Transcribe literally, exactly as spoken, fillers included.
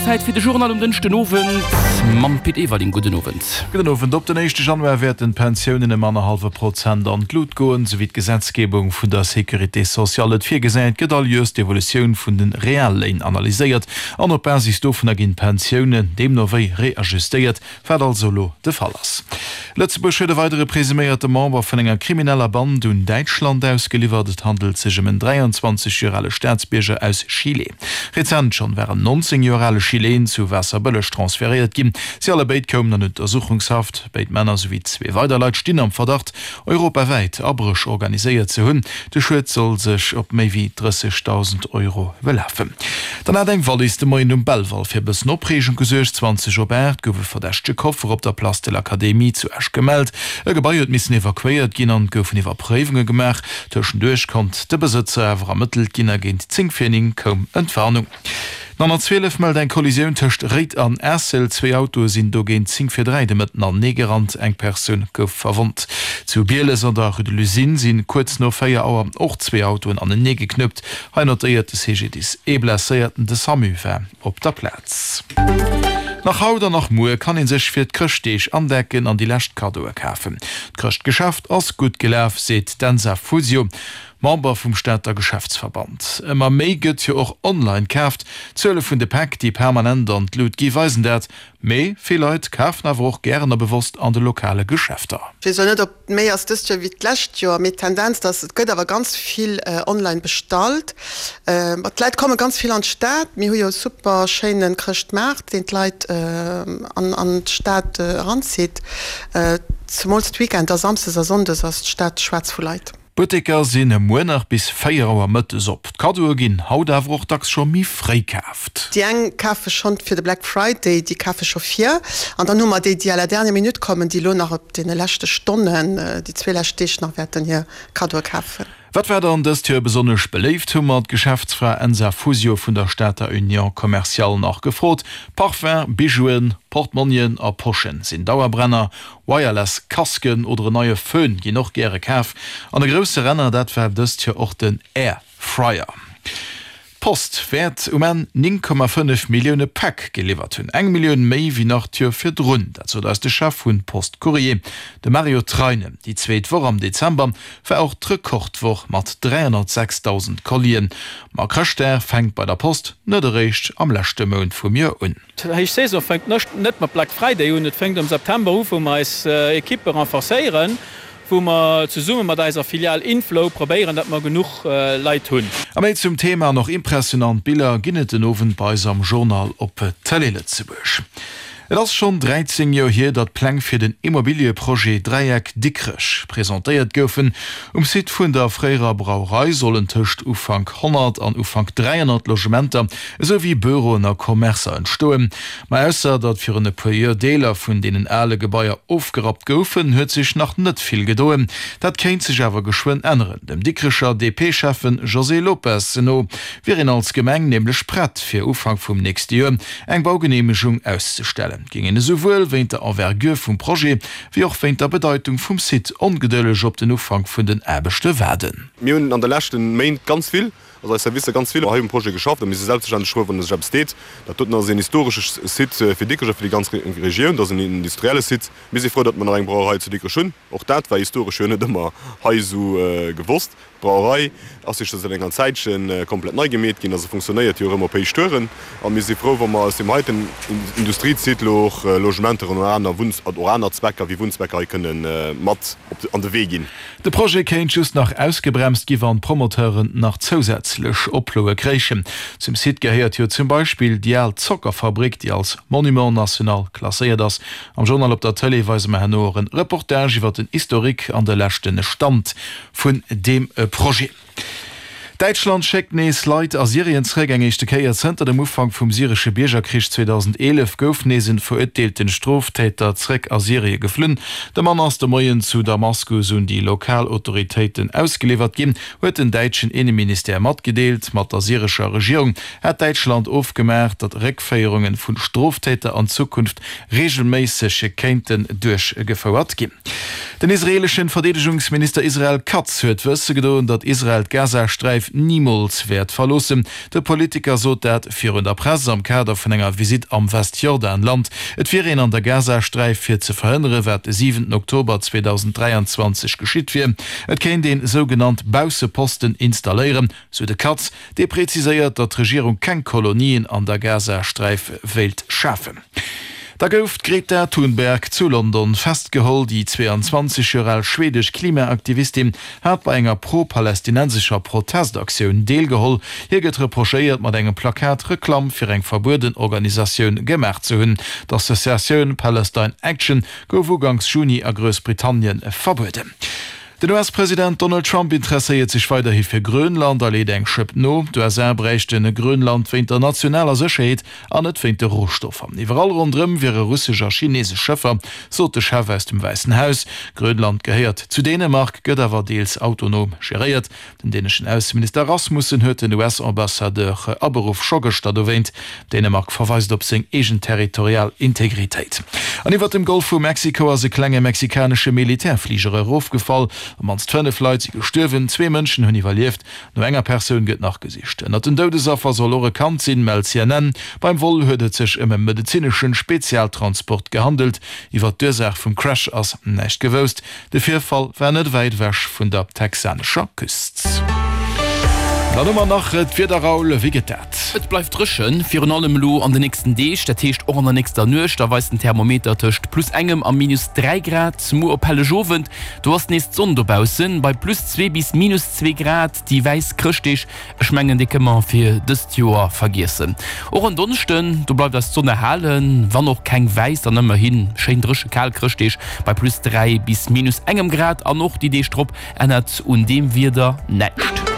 Zäit fir de Journal um Dënschden Owend mam Pit Everling. Gudden Owend. Gudden Owend. Op den éischte Januar wäerten d'Pensiounen ëm annerhallwe Prozent an d'Lut goen. Sou wéi d'Gesetzgebung vun der Sécurité sociale et virgesäit, gëtt all Joers d'Evolutioun vun de Realléin analyséiert an op Basis dovunner ginn d'Pensiounen deemno wéi reajustéiert, wat also elo de Fall ass. Lëtzebuerg huet e weidere presuméierte Member vun enger krimineller Band un Däitschland ausgeliwwert. Et handelt sech ëm en dräianzwanzeg Joer ale Staatsbierger aus Chile. Rezent schonn war en nonzéng Joer ale Chileen zu Waasserbëlleg transferéiert ginn. Si allebéid koumen an Untersuchungshaft. Béid Männer souwéi zwee weider Leit stinn am Verdacht, europawäit Abréch organiséiert ze hunn. De Schued soll sech op méi wéi drëssegdausend Euro belafen. Dann hat eng Wallis de Moien um Belval fir e bëssen Opreegung gesuergt. Zwanzeg op aacht gouf e verdächtege Koffer op der Place de l'Académie zu Esch gemellt. E Gebai huet missen evakuéiert ginn an et goufen Iwwerpréiwunge gemaach. Tëschenduerch konnt de Besëtzer awer ermëttelt ginn a géint zéng vir néng koum Entwarnung. Den honnertzwielef mellt eng Kollisioun tëscht Réid an Aessel. Zwee Autoe sinn do géint zéng vir dräi de Mëtten anenee gerannt. Eng Persoun gouf verwonnt. Zu Bieles an der Rue de l'Usine si kuerz no véier Auer och zwee Autoen anenee geknuppt. Hei notéiert de C G D I S ee Blesséierten. De SAMU war op der Plaz. Nach haut an nach muer kann ee sech fir d'Chrëschtdeeg andecken an déi lescht Kaddoe kafen. D'Chrëschtgeschäft ass gutt gelaf, seet d'Enza Fusio, Member vum Stater Geschäftsverband. Ëmmer méi gëtt jo och online kaaft. D'Zuele vun de Päck, déi permanent an d'Lut gi weisen dat. Mee vill Leit kafen awer och gären a bewosst an de lokale Geschäfter. Ech weess elo net, ob et méi ass dëst Joer wéi d'lescht Joer, mee d'Tendenz, dass et gëtt awer ganz vill online bestallt. Ma d'Leit komme ganz vill an d'Stad. Mir hu jo e super schéine Chrëschtmaart, deen d'Leit an an d'Stad eranzitt. Zemools d'Weekender, Samsdes a Sonndes ass d'Stad schwaarz vu Leit. D'Butteker sinn muer nach bis véier Auer mëttes op. D'Kaddoe ginn haut awer och dacks scho méi fréi kaaft. Déi eng kafe schonn fir de Black Friday, déi kafe scho vir. An dann hu mer déi, déi à la dernière minute kommen, déi elo nach op deene leschte Stonnen, déi zwee lescht Deeg nach wäerten hir Kaddoe kafen. Wat war dann dëst Joer besonnesch beléift, hu mer d'Geschäftsfra Enza Fusio vun der Stater Union Commerciale nach gefrot. Parfum, Bijouen, Portmonnien a Poschen sinn Dauerbrenner, Wireless Casquen oder en neie Fön ginn och gäre kaf. An e grousse Renner, dat war dëst Joer och den Air Fryer. D'Post wäert um Enn néng Komma fënnef Millioune Päck geliwwert hunn, eng Millioun méi wéi nach d'Joer virdrun. Dat sot eis de Chef vun Post Courrier, de Mario Treinen. Déi zweet Woch am Dezember war och d'Rekordwoch mat dräihonnertsechstausend Collien. Ma Chrëschtdag fänkt bei der Post net eréischt am leschte Mount vum Joer un. D'Héich Saison fänkt net mat Black Friday un, et fänkt am September u wou mer eis Ekippe renforcéieren. Wou mer zesumme mat eiser Filial Inflow probéieren, datt mer genuch Leit hunn. A méi zum Thema an och impressionant Biller ginn et den Owend bei eis am Journal op Télé Lëtzebuerg. Et ass schonn dräizéng Joer hier, datt d'Pläng fir den Immobilieprojet Dräieck Dikrech presentéiert goufen. Um Site vun der fréierer Brauerei sollen tëscht Ufank honnert an Ufank dräihonnert Logementer, esou wéi Büroen a Commercer entstoen. Ma ausser datt virun e puer Joer Deeler vun deenen ale Gebaier ofgerappt goufen, huet sech nach net vill gedoen. Dat kéint sech awer geschwënn änneren. Dem Dikrecher D P-Schäffen José Lopes no wier een als Gemeng nämlech prett, fir Ufank vum nächste Joer eng Baugeneemegung auszestellen. Géing een esouwuel wéint der Envergure vum Projet, wéi och wéint der Bedeitung vum Site ongedëlleg op den Ufank vun den Aarbechte waarden. Mir hunn an de leschte Méint ganz vill, also eis Servicer ganz vill hei um Projet geschafft a mir si selbstverständlech frou, wann sech eppes deet. Dat doten ass een historesche Site fir Dikrech a fir déi ganz Regioun. Dat ass en industrielle Site. Mir si frou, datt mer nach eng Brauerei zu Dikrech hunn. Och dat war historesch jo net ëmmer hei esou gewosst. D'Brauerei ass jo scho säit enger Zäitche komplett nei gemeet ginn a se funktionéiert jo erëm op Héichtouren. A mir si frou, wa mer aus deem heiten Industriesite elo och Logementer an aner Wunn och aner Zwecker wéi Wunnzwecker hei kënne mat op an de Wee ginn. De Projet kéint just nach ausgebremst gi wann d'Promoteuren nach zousätzlech Oploe kréichen. Zum Site gehéiert jo zum Beispill déi al Zockerfabrik, déi als Monument national klasséiert ass. Am Journal op der Tëlee weise mer herno och en Reportage iwwer den Historique an de leschte Stand vun deem Projet. Däitschland schéckt nees Leit a Syrien zréck. Eng éischte Kéier zënter dem Ufank vum syresche Biergerkrich zweedausendeenef gouf nees en verurteelten Stroftäter zréck a Syrie geflunn. De Mann ass de Moien zu Damaskus un déi lokal Autoritéiten ausgeliwwert ginn, huet den däitschen Inneministère matgedeelt. Mat der syrescher Regierung hat Däitschland ofgemaach, datt Réckféierunge vu Stroftäter an Zukunft reegelméisseg kéinten duerchgefouert ginn. Den israeeleschen Verdeedegungsminister Israel Katz huet wësse gedoen, datt Israel d'Gazasträif nimools wäert verloossen. De Politiker sot dat virun der Press am Kader vun enger Visitt am Westjordanland. Et wier een an der Gazasträif fir ze verhënnere wat de siwenten Oktober zweedausenddräianzwanzeg geschitt wier. Et kéint een sougenannt Bausseposten installéieren, sou de Katz, dee preziséiert, datt d'Regierung keng Kolonien an der Gazasträif wéilt schafen. Da gouf d'Greta Thunberg zu London festgeholl. Déi zweeanzwanzeg Joer al schwedesch Klimaaktivistin hat bei enger pro-palästinensescher Protestaktioun deelgeholl. Hir gëtt reprochéiert, mat engem Plakat Reklamm fir eng verbueden Organisatioun gemaach ze hunn. D'Associatioun Palestine Action gouf uganks Juni a Groussbritannien verbueden. Den U S-President Donald Trump interesséiert sech weiderhi fir Grönland a leet eng Schëpp no. D'U S A bräichte Grönland wéint der nationaler Sécherheet an net wéint de Rohstoffer. Iwwerall ronderëm wiere russesch a chineesesch Schëffer, sot de Chef aus dem Wäissen Haus. Grönland gehéiert zu Dänemark, gëtt awer deels autonom geréiert. Den däneschen Ausseminister Rasmussen huet den U S-Ambassadeur aberuff, scho gëschter dowéint. Dänemark verweist op seng eegen territorial Integritéit. An iwwert dem Golf vu Mexiko ass e klenge mexikanesche Militärfliger erofgefall. Op mannst fënnef Leit si gestuerwen, zwee Mënschen hunn iwwerlieft. No enger Persoun gëtt nach gesicht. Ënnert den Doudesaffer soll och e Kand sinn, mellt C N N. Beim Vol huet et sech ëm e medezinesche Spezialtransport gehandelt. Iwwer d'Ursaach vum Crash ass näischt gewousst. De Virfall war net wäit ewech vun der texanescher Küst. Dann hu mer nach d'Wieder, Raoul, wéi gëtt dat? Et bleift dréchen, virun allem elo an de nächsten Deeg, dat heescht och an der nächster Nuecht. Da weist den Thermometer tëscht plus engem a minus dräi Grad. Muer op Hellegowend, do ass nees d'Sonn dobaussen, bei plus zwee bis minus zwee Grad. Déi wäiss Chrëschtdeeg, ech mengen, déi kënne mer fir dëst Joer vergiessen. Och en Donneschden, do bleift eis d'Sonn erhalen, wann och keng wäiss, dann ëmmerhi schéin dréche kal Chrëschtdeeg bei plus dräi bis minus engem Grad. An och déi Deeg drop ännert un deem Wieder näischt.